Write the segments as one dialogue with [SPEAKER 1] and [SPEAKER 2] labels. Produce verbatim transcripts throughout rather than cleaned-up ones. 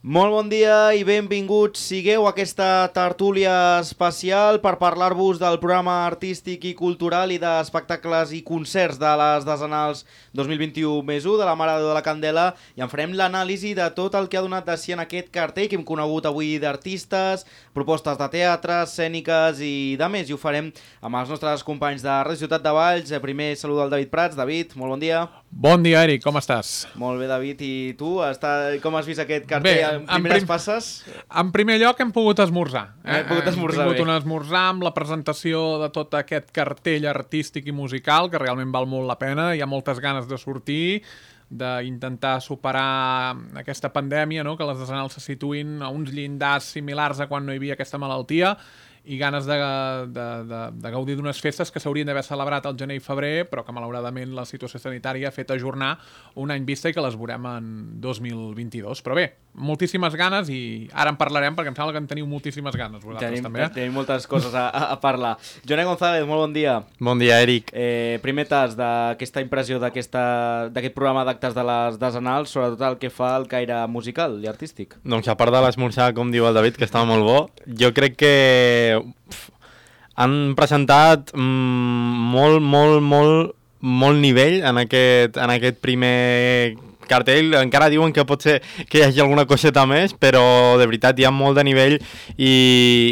[SPEAKER 1] Molt bon dia i benvinguts sigueu a aquesta tertúlia especial per parlar-vos del programa artístic i cultural i d'espectacles i concerts de les desenals dos mil vint-i-u més u de la Mare de la Candela, i en farem l'anàlisi de tot el que ha donat de si en aquest cartell que hem conegut avui d'artistes, propostes de teatre, escèniques i de més, i ho farem amb els nostres companys de Ràdio Ciutat de Valls. Primer saludo al David Prats. David, molt bon dia.
[SPEAKER 2] Bon dia, Eric, com estàs?
[SPEAKER 1] Molt bé, David, i tu? Està... Com has vist aquest cartell? Bé, en primeres prim... passes?
[SPEAKER 2] En primer lloc hem pogut esmorzar. Eh?
[SPEAKER 1] Hem pogut esmorzar,
[SPEAKER 2] hem tingut
[SPEAKER 1] bé.
[SPEAKER 2] un esmorzar amb la presentació de tot aquest cartell artístic i musical, que realment val molt la pena. Hi ha moltes ganes de sortir, d'intentar superar aquesta pandèmia, no? Que les desenals se situïn a uns llindars similars a quan no hi havia aquesta malaltia, i ganes de, de, de, de gaudir d'unes festes que s'haurien d'haver celebrat al gener i febrer, però que malauradament la situació sanitària ha fet ajornar un any vista i que les veurem en dos mil vint-i-dos. Però bé, moltíssimes ganes, i ara en parlarem perquè em sembla que en teniu moltíssimes ganes vosaltres
[SPEAKER 1] tenim,
[SPEAKER 2] també. Eh?
[SPEAKER 1] Tenim moltes coses a, a parlar. Joné González, molt bon dia.
[SPEAKER 3] Bon dia, Eric.
[SPEAKER 1] Eh, primer tas d'aquesta impressió d'aquest programa d'actes de les desenals, sobretot el que fa el caire musical i artístic.
[SPEAKER 3] Doncs a part de l'esmorzar, com diu el David, que estava molt bo, jo crec que Uf, han presentat mm, molt, molt, molt, molt nivell en aquest, en aquest primer cartell. Encara diuen que pot ser que hi hagi alguna coseta més, però de veritat hi ha molt de nivell i,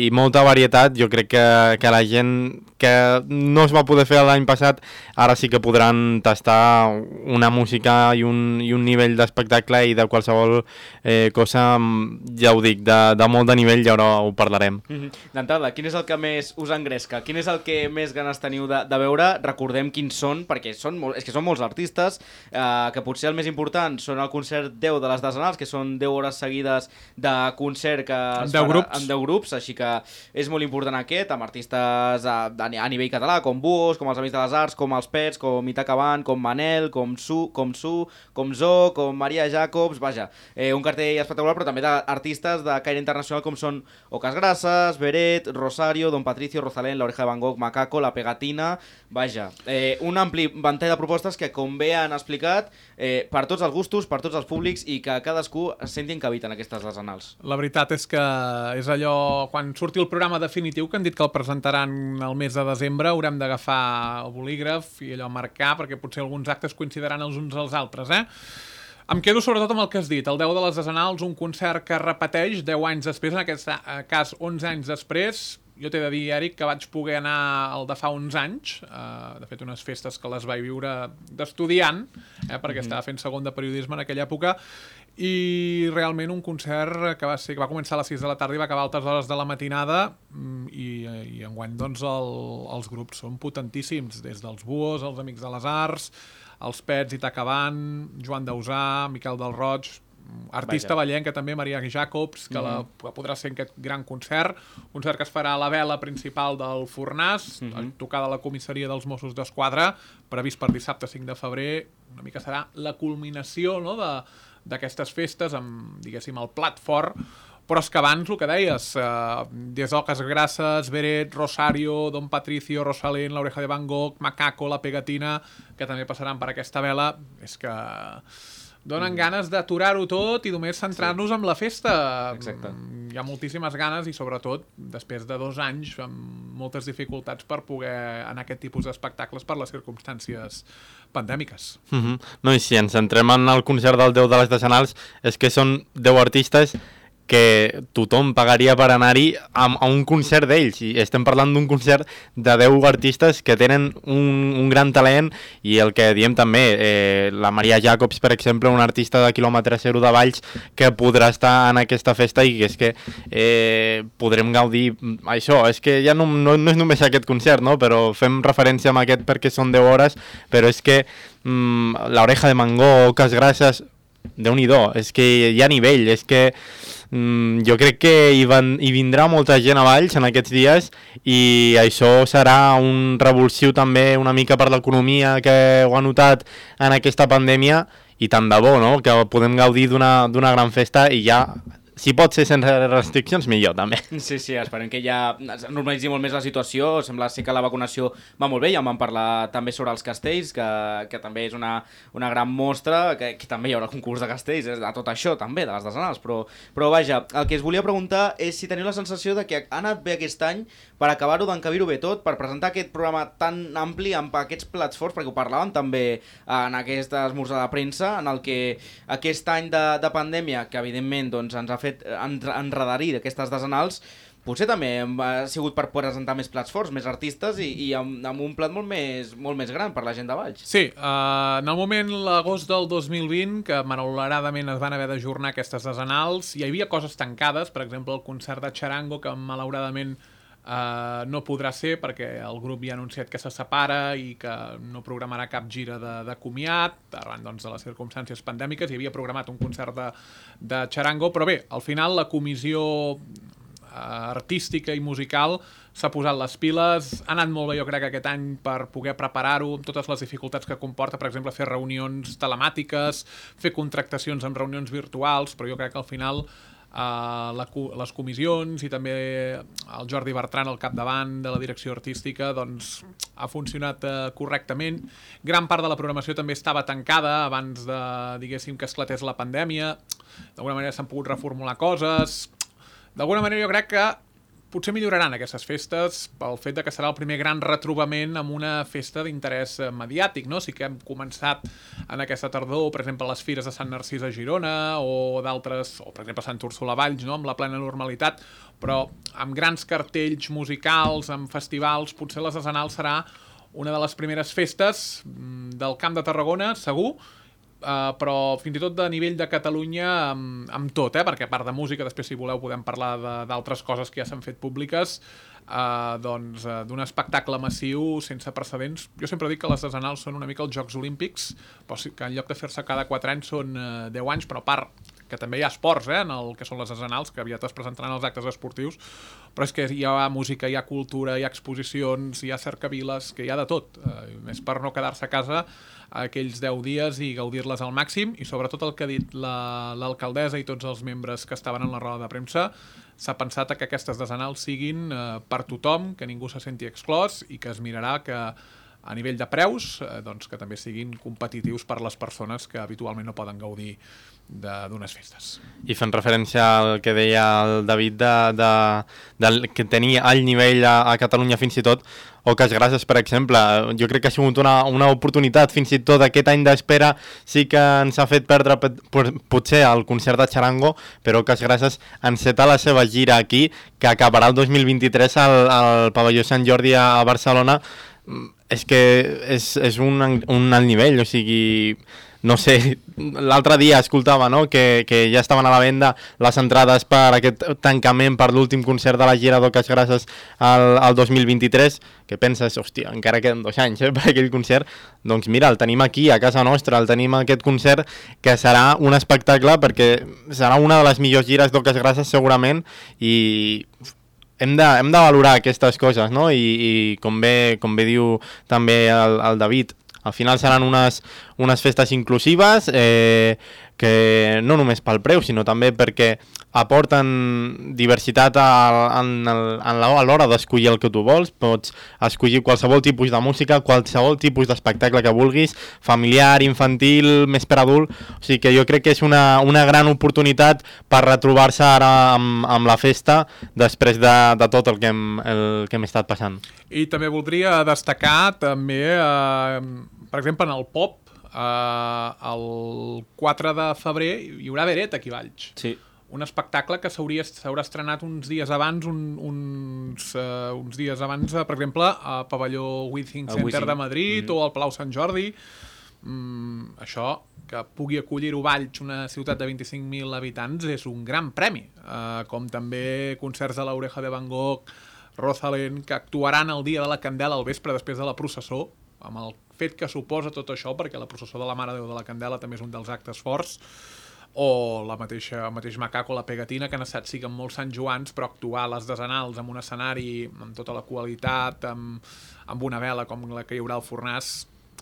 [SPEAKER 3] i molta varietat. Jo crec que, que la gent que no es va poder fer l'any passat, ara sí que podran tastar una música i un, i un nivell d'espectacle i de qualsevol eh, cosa, ja ho dic, de, de molt de nivell, i ara ho parlarem.
[SPEAKER 1] Mm-hmm. D'entrada, quin és el que més us engresca? Quin és el que més ganes teniu de, de veure? Recordem quins són, perquè són molt, és que són molts artistes, eh, que potser el més important són el concert deu de les desenals, que són deu hores seguides de concert que es
[SPEAKER 2] deu
[SPEAKER 1] farà
[SPEAKER 2] grups.
[SPEAKER 1] amb deu grups, així que és molt important aquest, amb artistes a, a nivell català, com Buos, com els Amics de les Arts, com els Pets, com Itaca Band, com Manel, com Su, com Su, com Zo, com Maria Jacobs, vaja, eh, un cartell espectacular, però també d'artistes de caire internacional com són Ocas Grasas, Beret, Rosario, Don Patricio, Rosalén, La Oreja de Van Gogh, Macaco, La Pegatina, vaja, eh, un ampli ventall de propostes que, com bé han explicat, eh, per tots els gustos, per tots els públics, i que cadascú es sentin que habiten aquestes desenals.
[SPEAKER 2] La veritat és que és allò, quan surti el programa definitiu, que han dit que el presentaran el mes de desembre, haurem d'agafar el bolígraf i allò marcar, perquè potser alguns actes coincidiran els uns als altres, eh? Em quedo sobretot amb el que has dit, el deu de les desenals, un concert que repeteix deu anys després, en aquest cas onze anys després. Jo t'he de dir, Eric, que vaig poder anar al de fa uns anys, eh, de fet unes festes que les vaig viure d'estudiant, eh, perquè mm-hmm. estava fent segon de periodisme en aquella època, i realment un concert que va ser que va començar a les sis de la tarda i va acabar a altes hores de la matinada, i, i enguany doncs el, els grups són potentíssims, des dels Buos, els Amics de les Arts, els Pets, Itaca Band, Joan Dausà, Miquel del Roig, artista vallenca també, Maria Jacobs, que, mm-hmm. la, que podrà ser en aquest gran concert, concert que es farà a la vela principal del Fornàs, mm-hmm. tocada a la comissaria dels Mossos d'Esquadra, previst per dissabte cinc de febrer. Una mica serà la culminació, no?, de d'aquestes festes, amb, diguéssim, el plat fort, però és que abans, el que deies, eh, des d'Ocas Grasas, Beret, Rosario, Don Patricio, Rosalén, La Oreja de Van Gogh, Macaco, La Pegatina, que també passaran per aquesta vela, és que donen ganes d'aturar-ho tot i només centrar-nos sí. en la festa.
[SPEAKER 1] Exacte.
[SPEAKER 2] Hi ha moltíssimes ganes i, sobretot, després de dos anys, amb moltes dificultats per poder anar a aquest tipus d'espectacles per les circumstàncies pandèmiques.
[SPEAKER 3] Mm-hmm. No, i si ens centrem en el concert del deu de les desenals, és que són deu artistes que tothom pagaria per anar-hi a, a un concert d'ells, i estem parlant d'un concert de deu artistes que tenen un, un gran talent, i el que diem també, eh, la Maria Jacobs, per exemple, una artista de quilòmetre zero de Valls, que podrà estar en aquesta festa, i que és que eh, podrem gaudir això. És que ja no, no, no és només aquest concert, no? Però fem referència a aquest perquè són deu hores, però és que mm, La Oreja de Van Gogh, Ocas Grasas, Déu-n'hi-do, és que hi ha nivell, és que mm, jo crec que hi, van, hi vindrà molta gent a Valls en aquests dies, i això serà un revulsiu també una mica per l'economia que ho ha notat en aquesta pandèmia, i tant de bo, no?, que podem gaudir d'una d'una gran festa, i ja si pot ser sense restriccions, millor, també.
[SPEAKER 1] Sí, sí, esperem que ja normalitzi molt més la situació. Sembla ser que la vacunació va molt bé, ja en vam parlar també sobre els castells, que, que també és una, una gran mostra, que, que també hi haurà concurs de castells, de tot això també, de les desenals, però, però vaja, el que es volia preguntar és si teniu la sensació de que ha anat bé aquest any per acabar-ho d'encabir-ho bé tot, per presentar aquest programa tan ampli amb aquests plats forts, perquè ho parlàvem també en aquest esmorzar de premsa, en el que aquest any de, de pandèmia, que evidentment doncs, ens ha fet enredarir d'aquestes desenals, potser també ha sigut per presentar més plats forts, més artistes i, i amb, amb un plat molt més, molt més gran per la gent de Valls.
[SPEAKER 2] Sí, uh, en el moment, l'agost del dos mil vint, que malauradament es van haver d'ajornar aquestes desenals, hi havia coses tancades, per exemple el concert de Charango, que malauradament Uh, no podrà ser perquè el grup ja ha anunciat que se separa i que no programarà cap gira de, de comiat arran doncs, de les circumstàncies pandèmiques. Hi havia programat un concert de, de Charango, però bé, al final la comissió uh, artística i musical s'ha posat les piles, ha anat molt bé jo crec aquest any per poder preparar-ho amb totes les dificultats que comporta, per exemple fer reunions telemàtiques, fer contractacions amb reunions virtuals, però jo crec que al final Uh, la, les comissions i també el Jordi Bertran al capdavant de la direcció artística doncs ha funcionat uh, correctament. Gran part de la programació també estava tancada abans de, diguéssim, que esclatés la pandèmia. D'alguna manera s'han pogut reformular coses. D'alguna manera jo crec que potser milloraran aquestes festes pel fet de que serà el primer gran retrobament amb una festa d'interès mediàtic, no? Sí que hem començat en aquesta tardor, per exemple, les fires de Sant Narcís a Girona o d'altres, o per exemple Sant Úrsula a Valls, no? Amb la plena normalitat, però amb grans cartells musicals, amb festivals, potser les desenals serà una de les primeres festes del Camp de Tarragona, segur, Uh, però fins i tot de nivell de Catalunya amb, amb tot, eh? Perquè a part de música, després si voleu podem parlar d'altres coses que ja s'han fet públiques, uh, doncs uh, d'un espectacle massiu sense precedents. Jo sempre dic que les desenals són una mica els Jocs Olímpics, però sí que en lloc de fer-se cada quatre anys són uh, deu anys, però a part que també hi ha esports, eh, en el que són les desenals, que aviat es presentaran els actes esportius, però és que hi ha música, hi ha cultura, hi ha exposicions, hi ha cercaviles, que hi ha de tot, uh, més per no quedar-se a casa aquells deu dies i gaudir-les al màxim, i sobretot el que ha dit l'alcaldessa i tots els membres que estaven en la roda de premsa, s'ha pensat que aquestes desenals siguin eh, per tothom, que ningú se senti exclòs i que es mirarà que a nivell de preus eh, doncs que també siguin competitius per les persones que habitualment no poden gaudir d'unes festes.
[SPEAKER 3] I fent referència al que deia el David de, de, de que tenia alt nivell a, a Catalunya fins i tot, Oques Grasses, per exemple, jo crec que ha sigut una, una oportunitat, fins i tot aquest any d'espera sí que ens ha fet perdre potser el concert de Charango, però Oques Grasses enceta la seva gira aquí, que acabarà el dos mil vint-i-tres al, al pavelló Sant Jordi a Barcelona. És que és, és un, un alt nivell, o sigui, no sé, l'altre dia escoltava, no?, que, que ja estaven a la venda les entrades per aquest tancament, per l'últim concert de la gira d'Oques Grasses al, al dos mil vint-i-tres, que penses, hòstia, encara queden dos anys eh, per aquell concert, doncs mira, el tenim aquí, a casa nostra, el tenim aquest concert, que serà un espectacle, perquè serà una de les millors gires d'Oques Grasses segurament, i hem de, hem de valorar aquestes coses, no? I, i com, bé, com bé diu també el, el David, al final seran unes, unes festes inclusives, eh, que no només pel preu, sinó també perquè aporten diversitat a, en, en l'hora d'escollir el que tu vols. Pots escollir qualsevol tipus de música, qualsevol tipus d'espectacle que vulguis, familiar, infantil, més per adult. O sigui que jo crec que és una, una gran oportunitat per retrobar-se ara amb, amb la festa després de, de tot el que, hem, el que hem estat passant.
[SPEAKER 2] I també voldria destacar també, eh, per exemple, en el pop, Uh, el quatre de febrer hi haurà Beret aquí a Valls.
[SPEAKER 1] Sí.
[SPEAKER 2] Un espectacle que s'haurà estrenat uns dies abans, un, uns, uh, uns dies abans, uh, per exemple, a Pavelló Withing Center Withing. de Madrid mm-hmm. o al Palau Sant Jordi. Mm, això, que pugui acollir-ho Valls, una ciutat de vint-i-cinc mil habitants, és un gran premi. Uh, com també concerts de l'Oreja de Van Gogh, Rosalén, que actuaran el dia de la Candela al vespre després de la processó, amb el fet que suposa tot això, perquè la processó de la Mare de Déu de la Candela també és un dels actes forts, o la mateixa, el mateix Macaco, la Pegatina, que han estat sí que amb molts Sant Joans, però actuar a les desenals amb un escenari amb tota la qualitat, amb, amb una vela com la que hi haurà al Fornàs,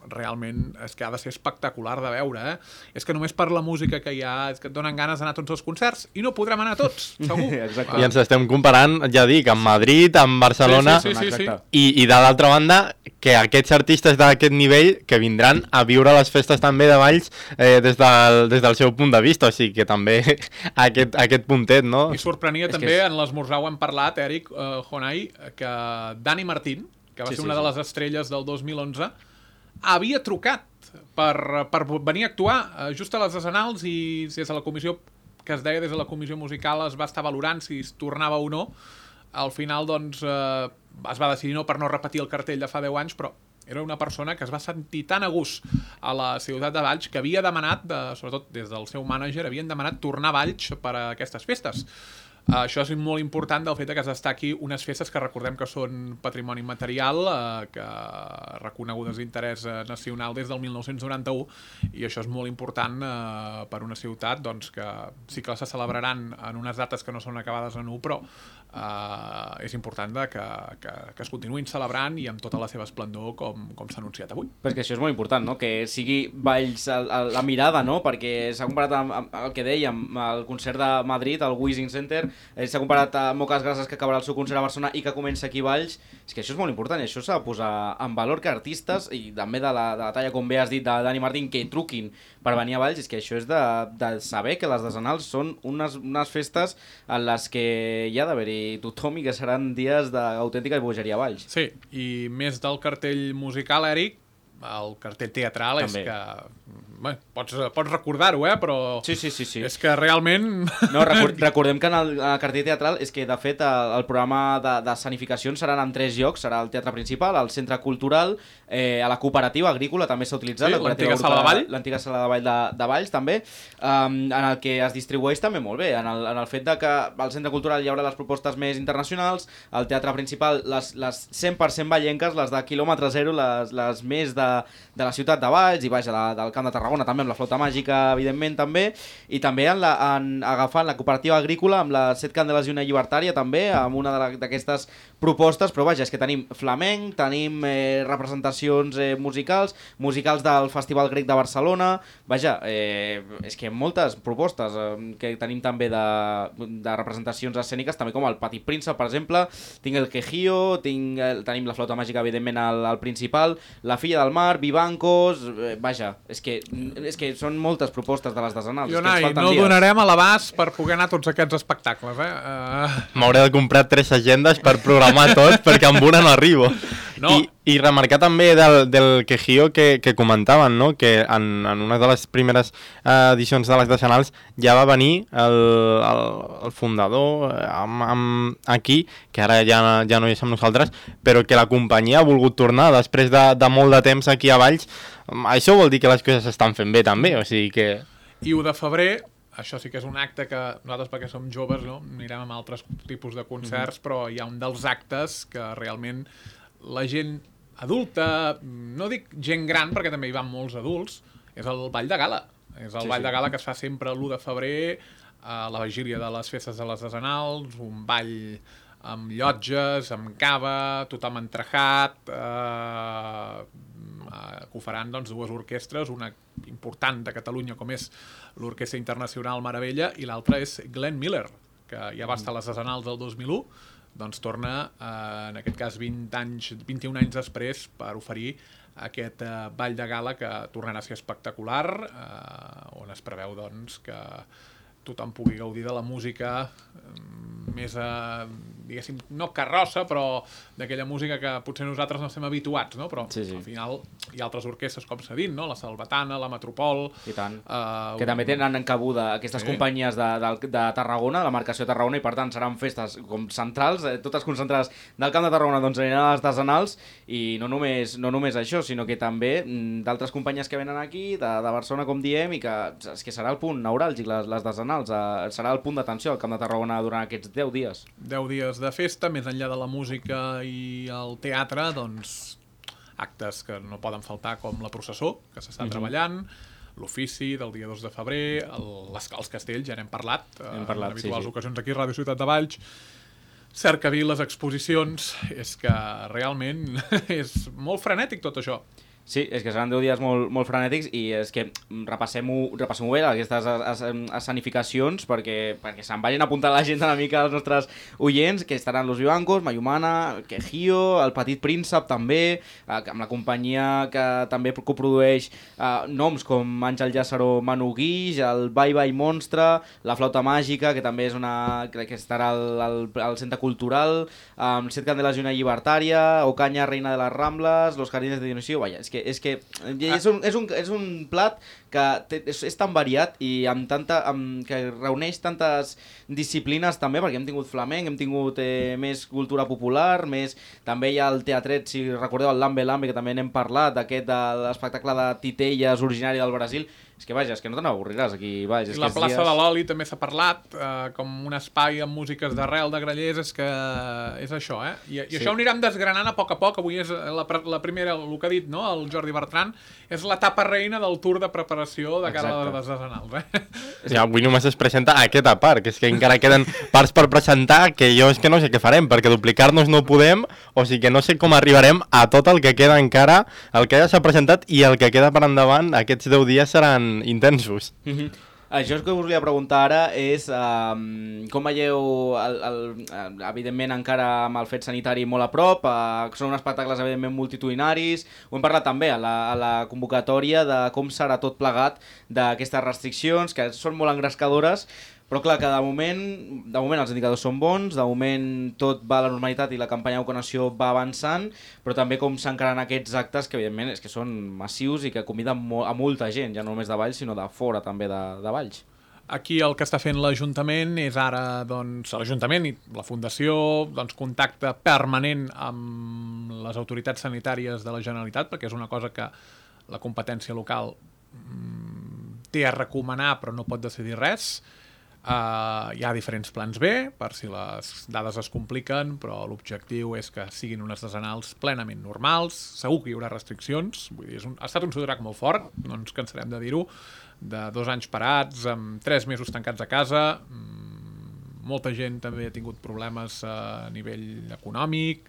[SPEAKER 2] realment és que ha de ser espectacular de veure, eh? És que només per la música que hi ha és que et donen ganes d'anar a tots els concerts i no podrem anar a tots, segur.
[SPEAKER 3] I ens estem comparant, ja dic, amb Madrid, amb Barcelona,
[SPEAKER 2] sí, sí, sí, sí, sí.
[SPEAKER 3] i, i de l'altra banda que aquests artistes d'aquest nivell que vindran a viure les festes també de Valls eh, des, del, des del seu punt de vista, o sigui que també aquest, aquest puntet, no?
[SPEAKER 2] I sorprenia
[SPEAKER 1] és
[SPEAKER 2] també,
[SPEAKER 1] és...
[SPEAKER 2] en l'esmorzar ho hem parlat, Eric, uh, Jonai, que Dani Martín, que va
[SPEAKER 1] sí,
[SPEAKER 2] ser
[SPEAKER 1] sí,
[SPEAKER 2] una
[SPEAKER 1] sí.
[SPEAKER 2] de les estrelles del dos mil onze, havia trucat per, per venir a actuar uh, just a les Decenals i des de la comissió, que es deia des de la comissió musical, es va estar valorant si es tornava o no. Al final, doncs, eh, es va decidir no per no repetir el cartell de fa deu anys, però era una persona que es va sentir tan a gust a la ciutat de Valls que havia demanat, de, sobretot des del seu mànager, havien demanat tornar a Valls per a aquestes festes. Uh, això és molt important del fet que es destaqui unes festes que recordem que són patrimoni material, uh, que reconegudes d'interès uh, nacional des del mil nou-cents noranta-u, i això és molt important uh, per una ciutat doncs, que sí que se celebraran en unes dates que no són acabades en u, però uh, és important de que, que, que es continuïn celebrant i amb tota la seva esplendor com, com s'ha anunciat avui.
[SPEAKER 1] Perquè això és molt important, no? Que sigui Valls a, a la mirada, no? Perquè s'ha comparat amb, amb el que dèiem, el concert de Madrid, el Wishing Center, eh, s'ha comparat a Moques Grasses, que acabarà el seu concert a Barcelona i que comença aquí a Valls. És que això és molt important i això s'ha de posar en valor que artistes, i també de la, de la talla, com bé has dit, de Dani Martín, que truquin per venir a Valls. És que això és de, de saber que les Decenals són unes, unes festes en les que hi ha d'haver-hi tothom i que seran dies d'autèntica bogeria a Valls.
[SPEAKER 2] Sí, i més del cartell musical, Eric, el cartell teatral també. És que... Bé, pots, pots recordar-ho, eh? Però
[SPEAKER 1] sí, sí, sí, sí.
[SPEAKER 2] És que realment...
[SPEAKER 1] No, record, recordem que en el, en el cartell teatral és que, de fet, el, el programa de, de escenificacions seran en tres llocs. Serà el Teatre Principal, el Centre Cultural, eh, a la Cooperativa Agrícola també s'ha utilitzat.
[SPEAKER 2] Sí, l'antiga Sala de Vall.
[SPEAKER 1] L'antiga Sala de Vall de, de Valls, també, um, en el que es distribueix també molt bé, en el, en el fet de que al Centre Cultural hi haurà les propostes més internacionals, al Teatre Principal les, les cent per cent vallenques, les de quilòmetre zero, les, les més de, de la ciutat de Valls i vaja, de, del Camp de Tarragona, també amb la flauta màgica, evidentment, també, i també en la, en, agafant la cooperativa agrícola amb les set candeles i una llibertària, també, amb una d'aquestes propostes, però vaja, és que tenim flamenc, tenim eh, representacions eh, musicals, musicals del Festival Grec de Barcelona, vaja, eh, és que moltes propostes eh, que tenim també de, de representacions escèniques, també com el Petit Príncep, per exemple, tinc el Quejío, tinc, eh, tenim la flauta màgica, evidentment, al, al Principal, la Filla del Mar, Vivancos, eh, vaja, és que, és que són moltes propostes de les Decenals.
[SPEAKER 2] Jonai, no dies. Donarem a l'abast per poder anar a tots aquests espectacles, eh? Uh...
[SPEAKER 3] M'hauré de comprar tres agendes per programar tot, perquè amb una no arribo. No. I, I remarcar també del, del Quejío que, que comentaven, no? Que en, en una de les primeres eh, edicions de les Decenals ja va venir el, el, el fundador eh, amb, amb aquí, que ara ja, ja no hi és amb nosaltres, però que la companyia ha volgut tornar després de, de molt de temps aquí a Valls. Això vol dir que les coses s'estan fent bé també, o sigui que...
[SPEAKER 2] I u de febrer, això sí que és un acte que nosaltres, perquè som joves, no? Anirem amb altres tipus de concerts, mm-hmm. però hi ha un dels actes que realment la gent adulta, no dic gent gran, perquè també hi van molts adults, és el Ball de Gala. És el sí, Ball sí. de Gala que es fa sempre l'u de febrer, a la vigília de les festes de les Decenals, un ball amb llotges, amb cava, tothom entrejat, eh, que ho faran doncs, dues orquestres, una important de Catalunya com és l'Orquestra Internacional Meravella i l'altra és Glenn Miller, que ja va estar a les Decenals del dos mil u, doncs torna, eh, en aquest cas vint anys, vint-i-un anys després, per oferir aquest eh, ball de gala que tornarà a ser espectacular, eh, on es preveu doncs, que tothom pugui gaudir de la música més, eh, diguéssim, no carrossa, però d'aquella música que potser nosaltres no estem habituats, no? Però sí, sí. Al final hi ha altres orquestres, com s'ha dit, no? La Salvatana, la Metropol...
[SPEAKER 1] I tant. Uh, que un... també tenen encabuda aquestes sí. companyies de, de, de Tarragona, la marcació de Tarragona, i per tant seran festes com centrals, eh, totes concentrades del Camp de Tarragona, doncs aniran a les Decenals, i no només, no només això, sinó que també d'altres companyies que venen aquí, de, de Barcelona, com diem, i que, és que serà el punt neuràlgic, les, les Decenals, eh, serà el punt d'atenció al Camp de Tarragona durant aquests deu dies.
[SPEAKER 2] deu dies de festa, més enllà de la música i el teatre, doncs actes que no poden faltar com la processó, que s'està mm-hmm. treballant, l'ofici del dia dos de febrer, el, les, els castells, ja n'hem parlat,
[SPEAKER 1] hem parlat
[SPEAKER 2] en habituals
[SPEAKER 1] sí, sí.
[SPEAKER 2] ocasions aquí a Ràdio Ciutat de Valls, cercavil, les exposicions, és que realment és molt frenètic tot això.
[SPEAKER 1] Sí, és que seran deu dies molt, molt frenètics i és que repassem-ho repassem bé, aquestes escenificacions, perquè, perquè se'n vagin apuntant la gent una mica als nostres oients, que estaran Los Vivancos, Mayumana, Quejío, El Petit Príncep també, amb la companyia que també coprodueix eh, noms com Àngel Llàzaro Manu Guix, el Bye Bye Monstre, La Flauta Màgica, que també és una, crec que estarà al, al, al Centre Cultural, amb Set Candeles i una Llibertària, Ocaña, Reina de les Rambles, Los Jardines de Dionisio, vaja, és que és que és un, és un, és un plat que té, és, és tan variat i amb tanta, amb, que reuneix tantes disciplines també, perquè hem tingut flamenc, hem tingut eh, més cultura popular, més també hi ha el teatret, si recordeu el Lambe Lambe, que també n'hem parlat, aquest de l'espectacle de titelles originari del Brasil. És que vaja, és que no te n'avorriràs aquí, vaja. És
[SPEAKER 2] I la
[SPEAKER 1] que
[SPEAKER 2] plaça
[SPEAKER 1] dies...
[SPEAKER 2] de l'Oli també s'ha parlat, eh, com un espai amb músiques d'arrel de Grallers, és que és això, eh? I, i sí. Això ho anirem desgranant a poc a poc. Avui és la, la primera, el que ha dit, no?, el Jordi Bertran, és l'etapa reina del tour de preparació de cara a les desenals, eh?
[SPEAKER 3] Ja, avui només es presenta aquesta part, que és que encara queden parts per presentar, que jo és que no sé què farem, perquè duplicar-nos no podem, o sigui que no sé com arribarem a tot el que queda encara, el que ja s'ha presentat i el que queda per endavant. Aquests deu dies seran intensos.
[SPEAKER 1] Mm-hmm. Això que us volia preguntar ara és um, com veieu, el, el, evidentment encara amb el fet sanitari molt a prop, uh, són espectacles evidentment multitudinaris, ho hem parlat també a la, a la convocatòria de com serà tot plegat d'aquestes restriccions, que són molt engrescadores, però clar, que de moment, de moment els indicadors són bons, de moment tot va a la normalitat i la campanya de vacunació va avançant, però també com s'encaren aquests actes que evidentment és que són massius i que conviden mo a molta gent, ja no només de Valls sinó de fora també de, de Valls.
[SPEAKER 2] Aquí el que està fent l'Ajuntament és ara, doncs, l'Ajuntament i la Fundació, doncs, contacte permanent amb les autoritats sanitàries de la Generalitat, perquè és una cosa que la competència local mm, té a recomanar però no pot decidir res. Uh, hi ha diferents plans B per si les dades es compliquen, però l'objectiu és que siguin unes desenals plenament normals. Segur que hi haurà restriccions, vull dir, és un, ha estat un sotrac molt fort, no ens cansarem de dir-ho, de dos anys parats, amb tres mesos tancats a casa, mm, molta gent també ha tingut problemes a nivell econòmic.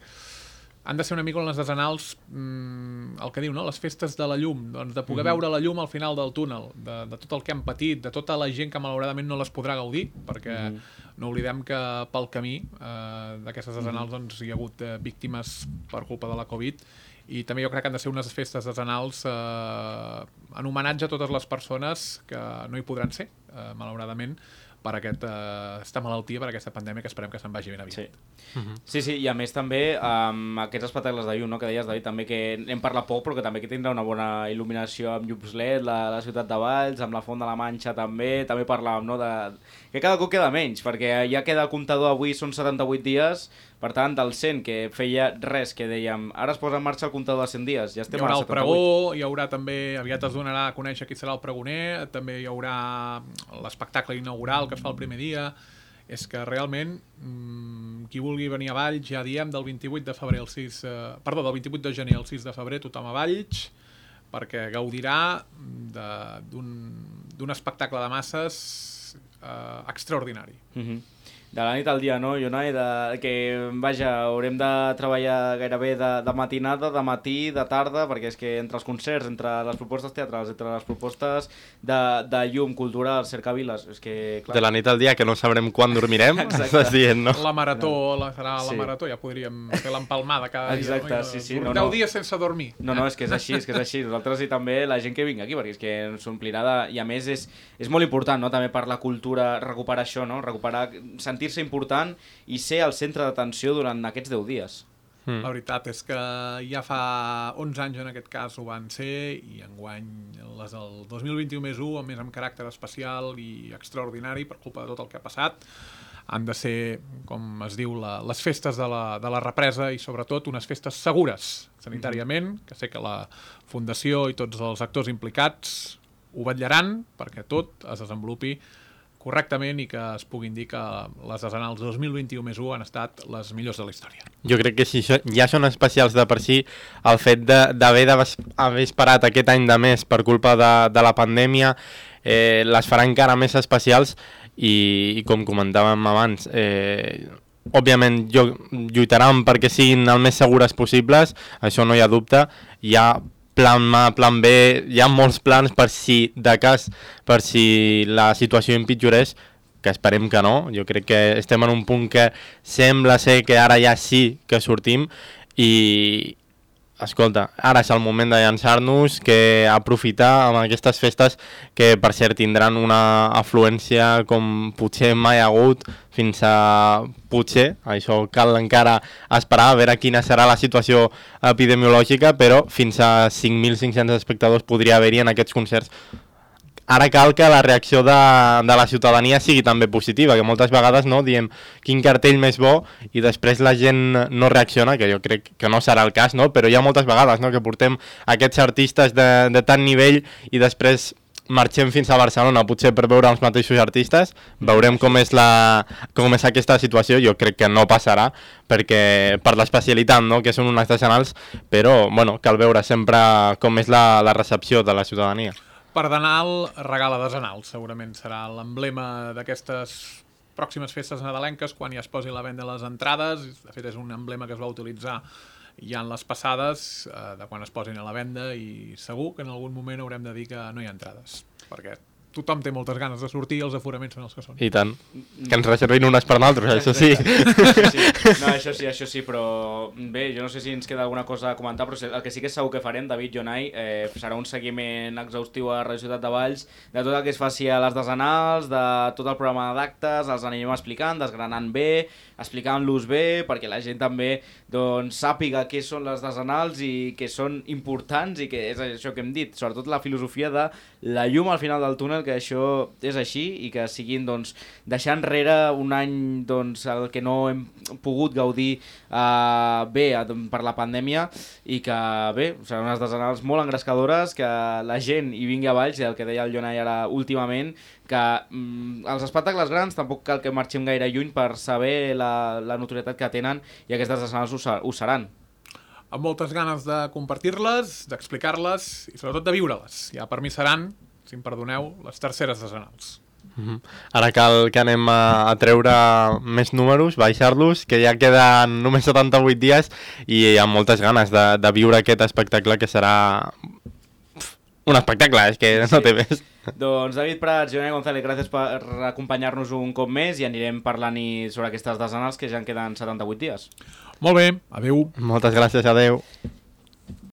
[SPEAKER 2] Han de ser una mica en les desenals, mmm, el que diu, no?, les festes de la llum, doncs de poder mm-hmm. veure la llum al final del túnel, de, de tot el que han patit, de tota la gent que malauradament no les podrà gaudir, perquè mm-hmm. no oblidem que pel camí eh, d'aquestes desenals mm-hmm. doncs, hi ha hagut eh, víctimes per culpa de la Covid, i també jo crec que han de ser unes festes desenals eh, en homenatge a totes les persones que no hi podran ser, eh, malauradament, per aquest, uh, aquesta malaltia, per aquesta pandèmia que esperem que se'n vagi ben aviat.
[SPEAKER 1] Sí. Uh-huh. sí, sí, i a més també amb um, aquests espectacles de llum, no? Que deies, David, també que hem parlat poc, però que també que tindrà una bona il·luminació amb llums L E D, la, la ciutat de Valls, amb la Font de la Manxa també, també parlàvem, no?, de... que cada cop queda menys, perquè ja queda el comptador, avui són setanta-vuit dies, per tant, del cent, que feia res, que dèiem, ara es posa en marxa el comptador de cent dies, ja estem
[SPEAKER 2] a setanta-vuit. Hi haurà el pregó, hi haurà també, aviat es donarà a conèixer qui serà el pregoner, també hi haurà l'espectacle inaugural que es fa el primer dia. És que realment, mmm, qui vulgui venir a Valls, ja diem, del vint-i-vuit de febrer al sis... Eh, perdó, del vint-i-vuit de gener al sis de febrer, tothom a Valls, perquè gaudirà d'un espectacle de masses eh, extraordinari.
[SPEAKER 1] Mm-hmm. De la nit al dia, no, Jonai? De, que, vaja, haurem de treballar gairebé de, de matinada, de matí, de tarda, perquè és que entre els concerts, entre les propostes teatrals, entre les propostes de, de llum, cultural, cercaviles, és que... Clar...
[SPEAKER 3] De la nit al dia, que no sabrem quan dormirem, estàs dient, no?
[SPEAKER 2] La marató, la, serà la sí. marató, ja podríem fer l'empalmada cada
[SPEAKER 1] Exacte,
[SPEAKER 2] dia.
[SPEAKER 1] Exacte, sí, sí.
[SPEAKER 2] No,
[SPEAKER 1] no,
[SPEAKER 2] deu
[SPEAKER 1] no.
[SPEAKER 2] dies sense dormir.
[SPEAKER 1] No, no, és que és així, és que és així. Nosaltres i també la gent que vingui aquí, perquè és que s'omplirà de... I a més és, és molt important, no?, també per la cultura, recuperar això, no?, recuperar... sentir-se important i ser al centre d'atenció durant aquests deu dies.
[SPEAKER 2] Mm. La veritat és que ja fa onze anys en aquest cas ho van ser i enguany les del dos mil vint-i-u més u, a més amb caràcter especial i extraordinari per culpa de tot el que ha passat, han de ser, com es diu, la, les festes de la, de la represa i sobretot unes festes segures sanitàriament, que sé que la Fundació i tots els actors implicats ho vetllaran perquè tot es desenvolupi correctament i que es puguin dir que les desenals dos mil vint-i-u més u han estat les millors de la història.
[SPEAKER 3] Jo crec que si ja són especials de per si, el fet d'haver d'haver esperat aquest any de més per culpa de, de la pandèmia eh, les farà encara més especials i, i com comentàvem abans, eh, òbviament lluitaran perquè siguin el més segures possibles, això no hi ha dubte. Hi ha plan A, plan B, hi ha molts plans per si, de cas, per si la situació empitjorés, que esperem que no. Jo crec que estem en un punt que sembla ser que ara ja sí que sortim i, escolta, ara és el moment de llançar-nos, que aprofitar amb aquestes festes que, per cert, tindran una afluència com potser mai ha hagut, fins a potser, això cal encara esperar a veure quina serà la situació epidemiològica, però fins a cinc mil cinc-cents espectadors podria haver-hi en aquests concerts. Ara cal que la reacció de, de la ciutadania sigui també positiva, que moltes vegades no diem quin cartell més bo i després la gent no reacciona, que jo crec que no serà el cas, no? Però hi ha moltes vegades, no?, que portem aquests artistes de, de tant nivell i després marxem fins a Barcelona, potser per veure els mateixos artistes, veurem com és, la, com és aquesta situació. Jo crec que no passarà, perquè per l'especialitat, no?, que són uns artesanals, però bueno, cal veure sempre com és la, la recepció de la ciutadania.
[SPEAKER 2] Per Denal, regala desenal, segurament serà l'emblema d'aquestes pròximes festes nadalenques, quan ja es posi a la venda les entrades. De fet, és un emblema que es va utilitzar ja en les passades, eh, de quan es posin a la venda, i segur que en algun moment haurem de dir que no hi ha entrades, perquè tothom té moltes ganes de sortir i els aforaments són els que són.
[SPEAKER 3] I tant. Que ens reservin unes per nosaltres, això sí.
[SPEAKER 1] sí. No, això sí, això sí, però bé, jo no sé si ens queda alguna cosa a comentar, però el que sí que és segur que farem, David, Jonai, eh, serà un seguiment exhaustiu a Radio Ciutat de Valls de tot el que es faci a les desenals, de tot el programa d'actes, els anirem explicant, desgranant bé, explicant-los bé, perquè la gent també doncs, sàpiga què són les desenals i que són importants, i que és això que hem dit, sobretot la filosofia de la llum al final del túnel, que això és així, i que siguin doncs, deixar enrere un any doncs, el que no hem pogut gaudir eh, bé per la pandèmia, i que bé, seran unes desenals molt engrescadores, que la gent hi vingui a Valls, i el que deia el Jonai ara últimament, que mm, els espectacles grans tampoc cal que marxem gaire lluny per saber la, la notorietat que tenen, i aquestes desenals ho, ho seran.
[SPEAKER 2] Amb moltes ganes de compartir-les, d'explicar-les i sobretot de viure-les. Ja per mi seran, si em perdoneu, les terceres desenals.
[SPEAKER 3] Mm-hmm. Ara cal que anem a, a treure més números, baixar-los, que ja queden només setanta-vuit dies i amb moltes ganes de, de viure aquest espectacle, que serà un espectacle, és que no té més.
[SPEAKER 1] Doncs David Prats, Jonai González, gràcies per acompanyar-nos un cop més, i anirem parlant-hi sobre aquestes desenals, que ja en queden setanta-vuit dies.
[SPEAKER 2] Molt bé, adeu.
[SPEAKER 3] Moltes gràcies, adeu.